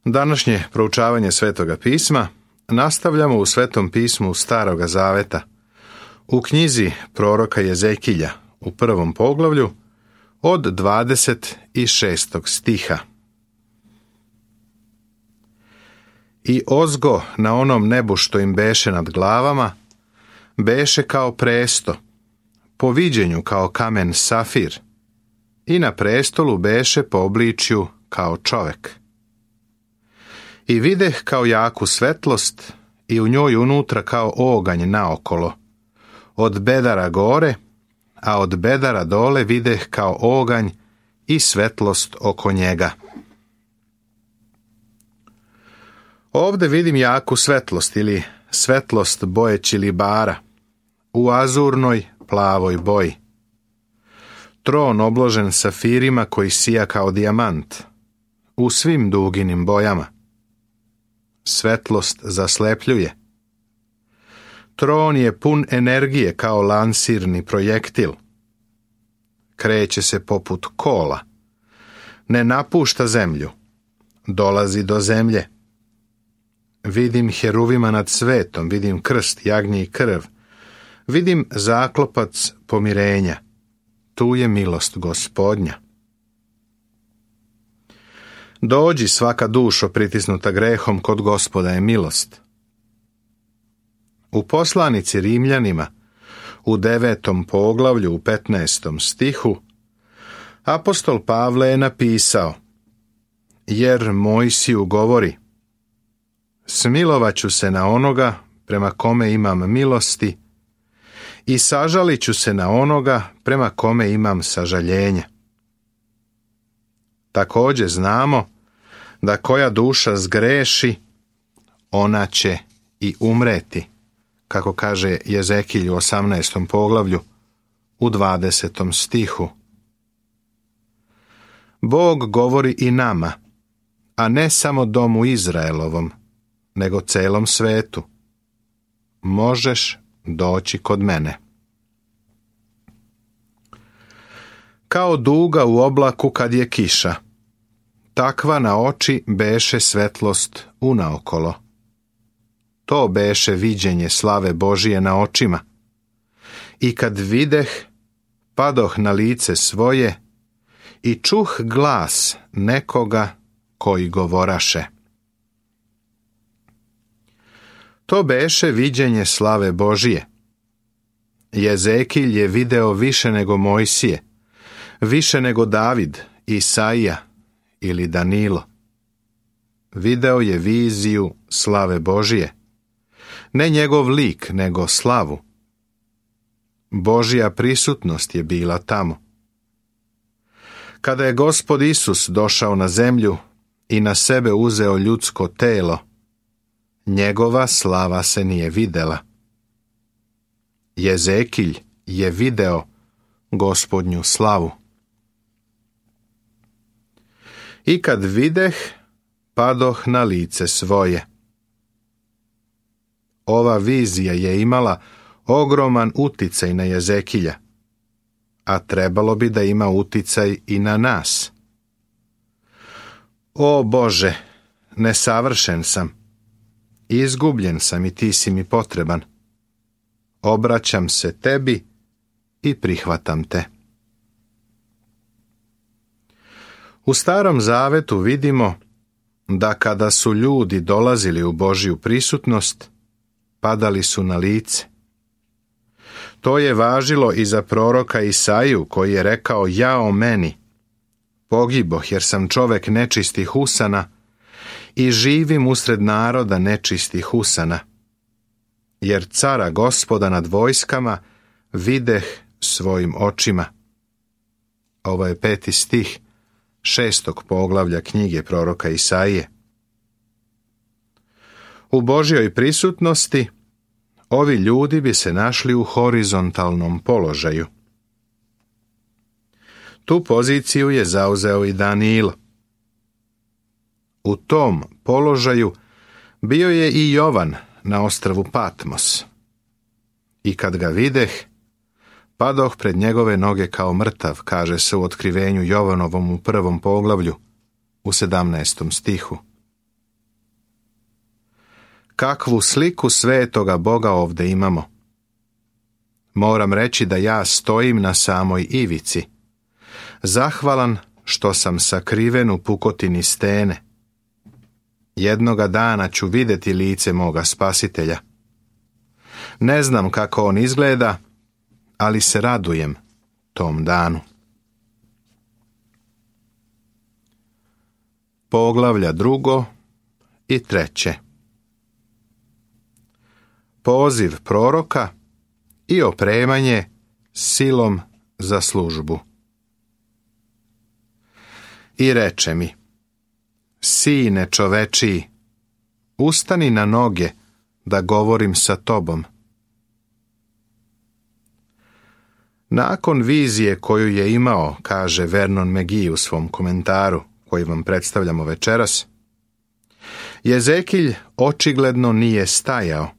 Današnje proučavanje Svetoga pisma nastavljamo u Svetom pismu Staroga Zaveta, u knjizi proroka Jezekilja u 1. poglavlju od 26. stiha. I ozgo na onom nebu što im beše nad glavama, beše kao presto, po viđenju kao kamen safir, i na prestolu beše po obličju kao čovek. I videh kao jaku svetlost i u njoj unutra kao oganj naokolo, od bedara gore, a od bedara dole videh kao oganj i svetlost oko njega. Ovde vidim jaku svetlost ili svetlost boje čilibara u azurnoj plavoj boji. Tron obložen safirima koji sija kao dijamant u svim duginim bojama. Svetlost zaslepljuje. Tron je pun energije kao lansirni projektil. Kreće se poput kola. Ne napušta zemlju. Dolazi do zemlje. Vidim heruvima nad svetom, vidim krst, jagnje i krv. Vidim zaklopac pomirenja. Tu je milost Gospodnja. Dođi svaka dušo pritisnuta grehom, kod Gospoda je milost. U poslanici Rimljanima, u 9. poglavlju, u 15. stihu, apostol Pavle je napisao: jer Mojsiju govori, smilovaću se na onoga prema kome imam milosti i sažalit ću se na onoga prema kome imam sažaljenja. Također znamo da koja duša zgreši, ona će i umreti, kako kaže Jezekilj u 18. poglavlju, u 20. stihu. Bog govori i nama, a ne samo domu Izraelovom, nego celom svetu. Možeš doći kod mene. Kao duga u oblaku kad je kiša, takva na oči beše svetlost unaokolo. To beše viđenje slave Božije na očima. I kad videh, padoh na lice svoje i čuh glas nekoga koji govoraše. To beše viđenje slave Božije. Jezekilj je video više nego Mojsije, više nego David, Isaija ili Danilo. Video je viziju slave Božije. Ne njegov lik, nego slavu. Božja prisutnost je bila tamo. Kada je Gospod Isus došao na zemlju i na sebe uzeo ljudsko telo, njegova slava se nije videla. Jezekilj je video Gospodnju slavu. I kad videh, padoh na lice svoje. Ova vizija je imala ogroman uticaj na Jezekilja, a trebalo bi da ima uticaj i na nas. O Bože, nesavršen sam, izgubljen sam i ti si mi potreban. Obraćam se tebi i prihvatam te. U Starom Zavetu vidimo da kada su ljudi dolazili u Božju prisutnost, padali su na lice. To je važilo i za proroka Isaiju, koji je rekao: jao meni, pogiboh jer sam čovek nečistih usana i živim usred naroda nečistih usana, jer cara Gospoda nad vojskama videh svojim očima. Ovo je 5. stih 6. poglavlja knjige proroka Isaije. U Božjoj prisutnosti ovi ljudi bi se našli u horizontalnom položaju. Tu poziciju je zauzeo i Danilo. U tom položaju bio je i Jovan na ostrvu Patmos. I kad ga videh, padoh pred njegove noge kao mrtav, kaže se u otkrivenju Jovanovom u 1. poglavlju, u 17. stihu. kakvu sliku svetoga Boga ovdje imamo. Moram reći da ja stojim na samoj ivici, zahvalan što sam sakriven u pukotini stene. Jednoga dana ću vidjeti lice moga Spasitelja. Ne znam kako on izgleda, ali se radujem tom danu. Poglavlja 2. i 3. Poziv proroka i opremanje silom za službu. I reče mi: Sine čovečiji, ustani na noge da govorim sa tobom. Nakon vizije koju je imao, kaže Vernon McGee u svom komentaru, koji vam predstavljamo večeras, Jezekilj očigledno nije stajao,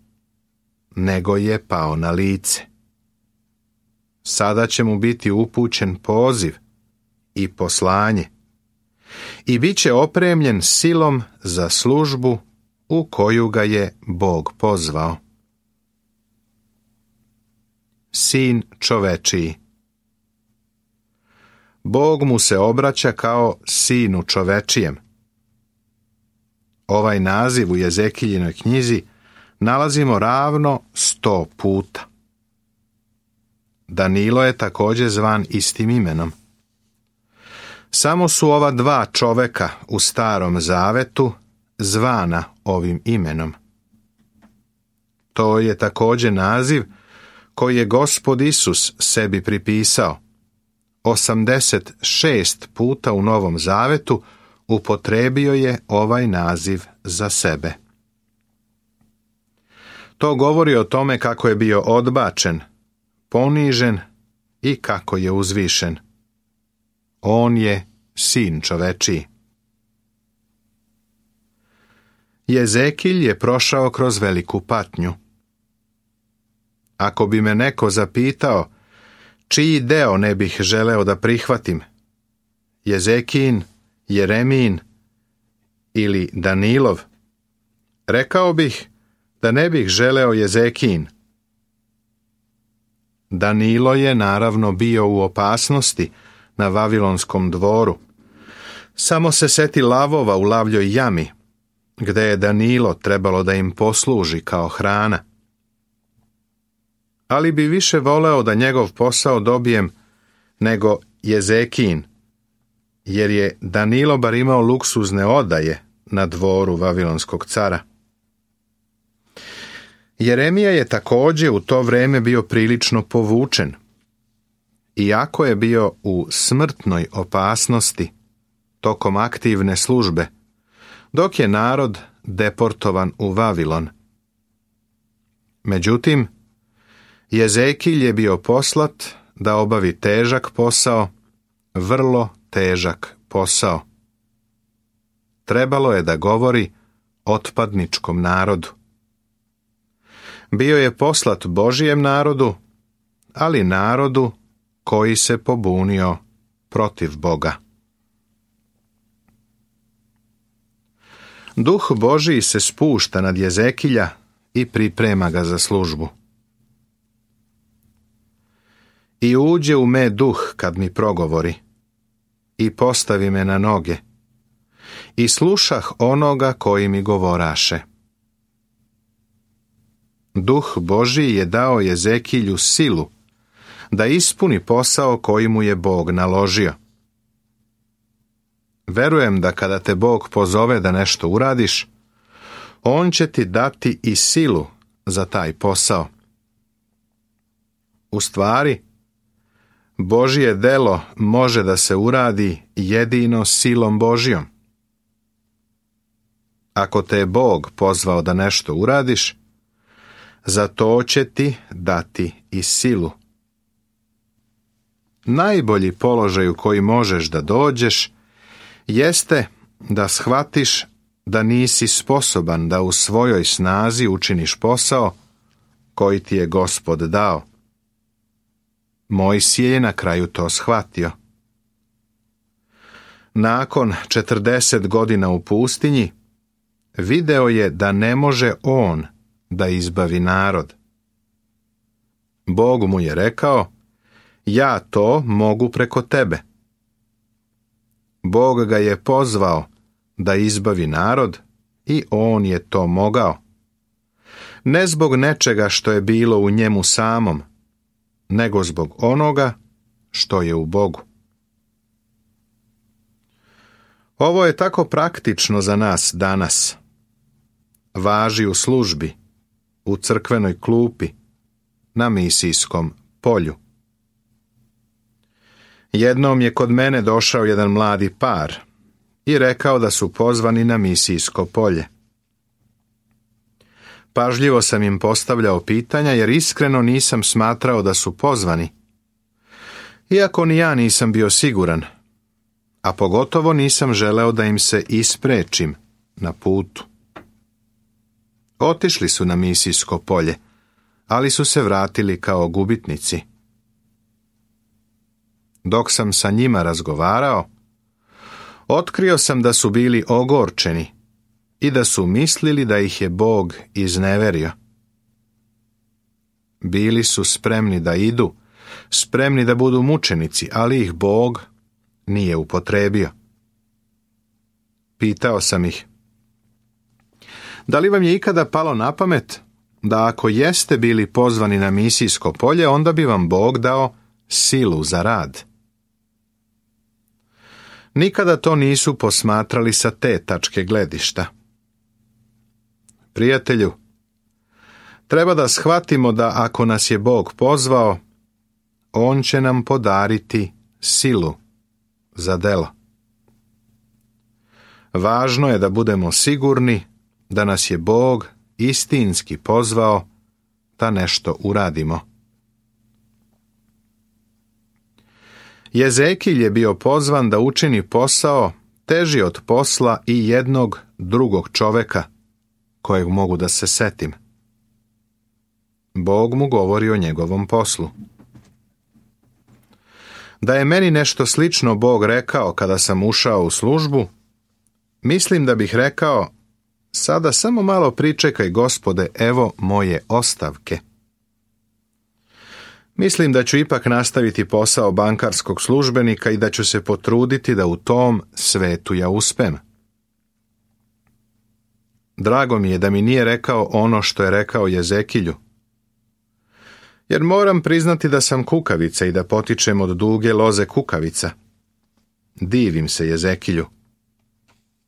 nego je pao na lice. Sada će mu biti upućen poziv i poslanje i bit će opremljen silom za službu u koju ga je Bog pozvao. Sin čovečiji. Bog mu se obraća kao sinu čovečijem. Ovaj naziv u Jezekiljinoj knjizi nalazimo ravno 100 puta. Danilo je također zvan istim imenom. Samo su ova 2 čoveka u Starom Zavetu zvana ovim imenom. To je također naziv koji je Gospod Isus sebi pripisao. 86 puta u Novom Zavetu upotrijebio je ovaj naziv za sebe. To govori o tome kako je bio odbačen, ponižen i kako je uzvišen. On je sin čovečiji. Jezekilj je prošao kroz veliku patnju. Ako bi me neko zapitao čiji deo ne bih želeo da prihvatim, Jezekijin, Jeremijin ili Danilov, rekao bih da ne bih želeo Jezekijin. Danilo je naravno bio u opasnosti na Vavilonskom dvoru. Samo se seti lavova u lavljoj jami, gde je Danilo trebalo da im posluži kao hrana. Ali bi više voleo da njegov posao dobijem nego Jezekijin, jer je Danilo bar imao luksuzne odaje na dvoru Vavilonskog cara. Jeremija je također u to vrijeme bio prilično povučen. Iako je bio u smrtnoj opasnosti tokom aktivne službe, dok je narod deportovan u Vavilon. Međutim, Jezekilj je bio poslat da obavi težak posao, vrlo težak posao. Trebalo je da govori otpadničkom narodu. Bio je poslat Božijem narodu, ali narodu koji se pobunio protiv Boga. Duh Božiji se spušta nad Jezekilja i priprema ga za službu. I uđe u me duh kad mi progovori i postavi me na noge i slušah onoga koji mi govoraše. Duh Božiji je dao Jezekilju silu da ispuni posao koji mu je Bog naložio. Verujem da kada te Bog pozove da nešto uradiš, on će ti dati i silu za taj posao. U stvari, Božje delo može da se uradi jedino silom Božjom. Ako te je Bog pozvao da nešto uradiš, za to će ti dati i silu. Najbolji položaj u koji možeš da dođeš jeste da shvatiš da nisi sposoban da u svojoj snazi učiniš posao koji ti je Gospod dao. Mojsije je na kraju to shvatio. Nakon 40 godina u pustinji, video je da ne može on da izbavi narod. Bog mu je rekao, ja to mogu preko tebe. Bog ga je pozvao da izbavi narod i on je to mogao. Ne zbog nečega što je bilo u njemu samom, nego zbog onoga što je u Bogu. Ovo je tako praktično za nas danas. Važi u službi, u crkvenoj klupi, na misijskom polju. Jednom je kod mene došao jedan mladi par i rekao da su pozvani na misijsko polje. Pažljivo sam im postavljao pitanja jer iskreno nisam smatrao da su pozvani. Iako ni ja nisam bio siguran, a pogotovo nisam želeo da im se isprečim na putu. Otišli su na misijsko polje, ali su se vratili kao gubitnici. Dok sam sa njima razgovarao, otkrio sam da su bili ogorčeni i da su mislili da ih je Bog izneverio. Bili su spremni da idu, spremni da budu mučenici, ali ih Bog nije upotrebio. Pitao sam ih, da li vam je ikada palo na pamet da ako jeste bili pozvani na misijsko polje, onda bi vam Bog dao silu za rad? Nikada to nisu posmatrali sa te tačke gledišta. Prijatelju, treba da shvatimo da ako nas je Bog pozvao, on će nam podariti silu za delo. Važno je da budemo sigurni da nas je Bog istinski pozvao da nešto uradimo. Jezekilj je bio pozvan da učini posao teži od posla i jednog drugog čoveka, kojeg mogu da se setim. Bog mu govori o njegovom poslu. Da je meni nešto slično Bog rekao kada sam ušao u službu, mislim da bih rekao, sada samo malo pričekaj, Gospode, evo moje ostavke. Mislim da ću ipak nastaviti posao bankarskog službenika i da ću se potruditi da u tom svetu ja uspem. Drago mi je da mi nije rekao ono što je rekao Jezekilju. Jer moram priznati da sam kukavica i da potičem od duge loze kukavica. Divim se Jezekilju.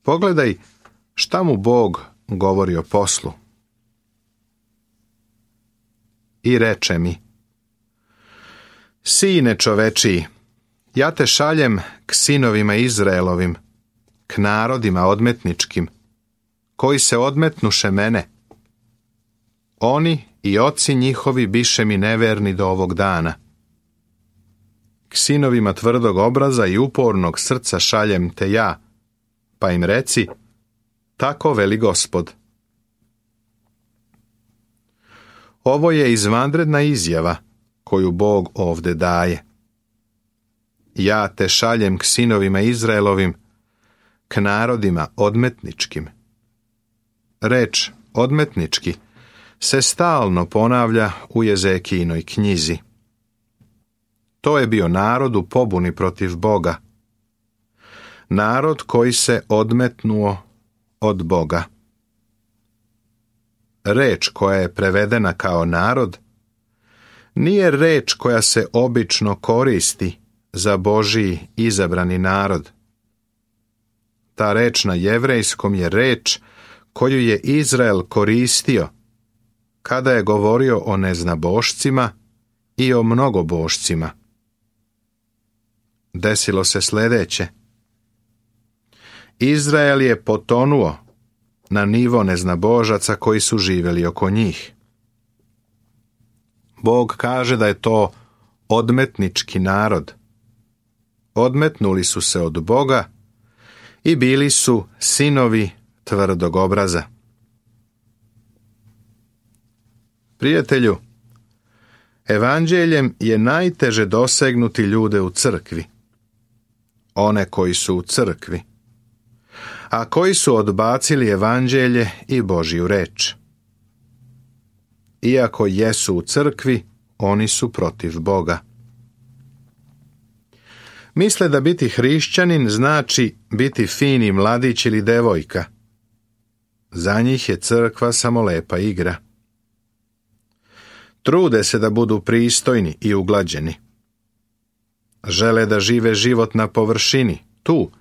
Pogledaj šta mu Bog govori o poslu. I reče mi, Sine čovečiji, ja te šaljem k sinovima Izraelovim, k narodima odmetničkim, koji se odmetnuše mene. Oni i oci njihovi biše mi neverni do ovog dana. K sinovima tvrdog obraza i upornog srca šaljem te ja, pa im reci, tako veli Gospod. Ovo je izvanredna izjava koju Bog ovde daje. Ja te šaljem k sinovima Izraelovim, k narodima odmetničkim. Reč odmetnički se stalno ponavlja u Jezekijinoj knjizi. To je bio narod u pobuni protiv Boga. Narod koji se odmetnuo od Boga. Reč koja je prevedena kao narod nije reč koja se obično koristi za Božiji izabrani narod. Ta reč na jevrejskom je reč koju je Izrael koristio kada je govorio o neznabošcima i o mnogobošcima. Desilo se sljedeće. Izrael je potonuo na nivo neznabožaca koji su živjeli oko njih. Bog kaže da je to odmetnički narod. Odmetnuli su se od Boga i bili su sinovi tvrdog obraza. Prijatelju, evanđeljem je najteže dosegnuti ljude u crkvi. One koji su u crkvi. a koji su odbacili evanđelje i Božju reč. Iako jesu u crkvi, oni su protiv Boga. Misle da biti hrišćanin znači biti fini mladić ili devojka. Za njih je crkva samo lepa igra. Trude se da budu pristojni i uglađeni. Žele da žive život na površini, tu,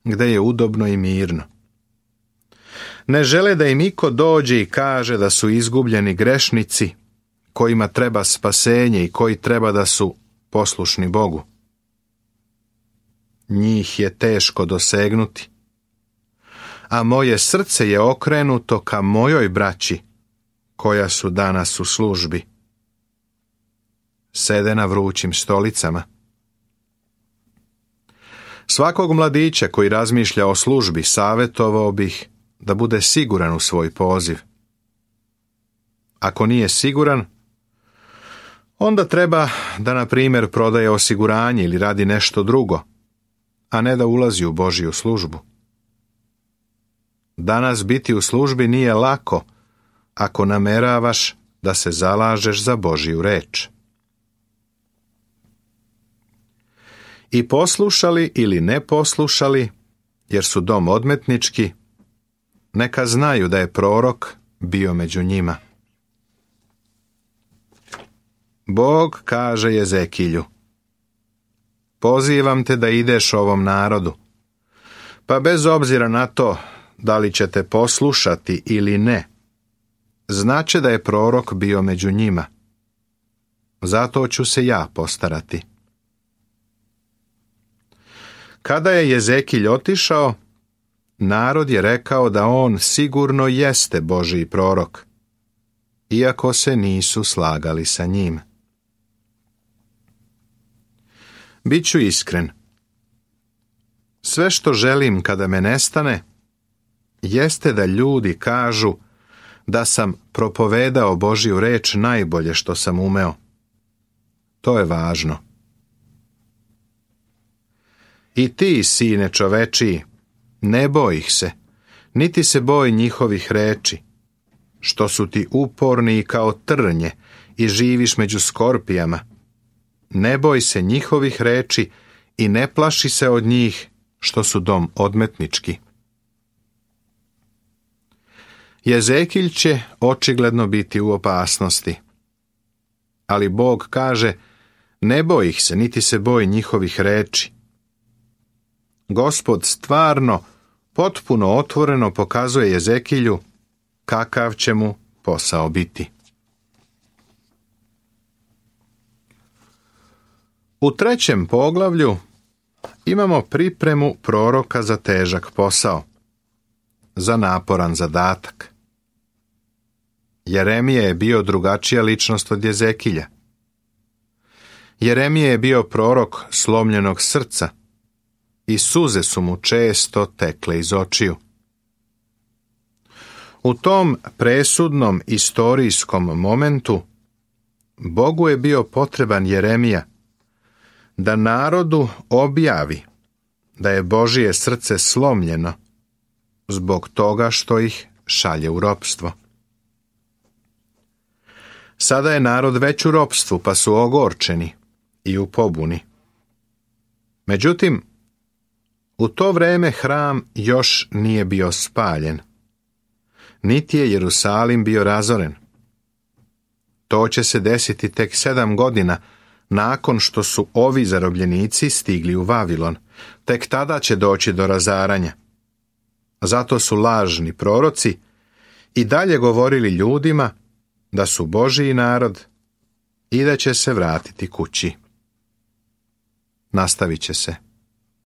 gde je udobno i mirno. Ne žele da im iko dođe i kaže da su izgubljeni grešnici, kojima treba spasenje i koji treba da su poslušni Bogu. Njih je teško dosegnuti, a moje srce je okrenuto ka mojoj braći, koja su danas u službi. Sede na vrućim stolicama. Svakog mladića koji razmišlja o službi savjetovao bih da bude siguran u svoj poziv. Ako nije siguran, onda treba da, na primjer, prodaje osiguranje ili radi nešto drugo, a ne da ulazi u Božju službu. Danas biti u službi nije lako ako nameravaš da se zalažeš za Božju reč. I poslušali ili ne poslušali, jer su dom odmetnički, neka znaju da je prorok bio među njima. Bog kaže Jezekilju: pozivam te da ideš ovom narodu, pa bez obzira na to da li ćete poslušati ili ne, znače da je prorok bio među njima. Zato ću se ja postarati. Kada je Jezekilj otišao, narod je rekao da on sigurno jeste Božji prorok, iako se nisu slagali sa njim. Biću iskren. Sve što želim kada me nestane, jeste da ljudi kažu da sam propovedao Božju reč najbolje što sam umeo. To je važno. I ti, sine čovečiji, ne boj ih se, niti se boj njihovih reči, što su ti uporni kao trnje i živiš među skorpijama. Ne boj se njihovih reči i ne plaši se od njih, što su dom odmetnički. Jezekilj će očigledno biti u opasnosti. Ali Bog kaže: ne boj ih se, niti se boj njihovih reči. Gospod stvarno, potpuno otvoreno pokazuje Jezekilju kakav će mu posao biti. U 3. poglavlju imamo pripremu proroka za težak posao, za naporan zadatak. Jeremija je bio drugačija ličnost od Jezekilja. Jeremija je bio prorok slomljenog srca i suze su mu često tekle iz očiju. U tom presudnom istorijskom momentu Bogu je bio potreban Jeremija da narodu objavi da je Božje srce slomljeno zbog toga što ih šalje u ropstvo. Sada je narod već u ropstvu, pa su ogorčeni i u pobuni. Međutim, u to vreme hram još nije bio spaljen, niti je Jerusalim bio razoren. To će se desiti tek 7 godina nakon što su ovi zarobljenici stigli u Vavilon. Tek tada će doći do razaranja. Zato su lažni proroci i dalje govorili ljudima da su Božji narod i da će se vratiti kući. Nastavit će se.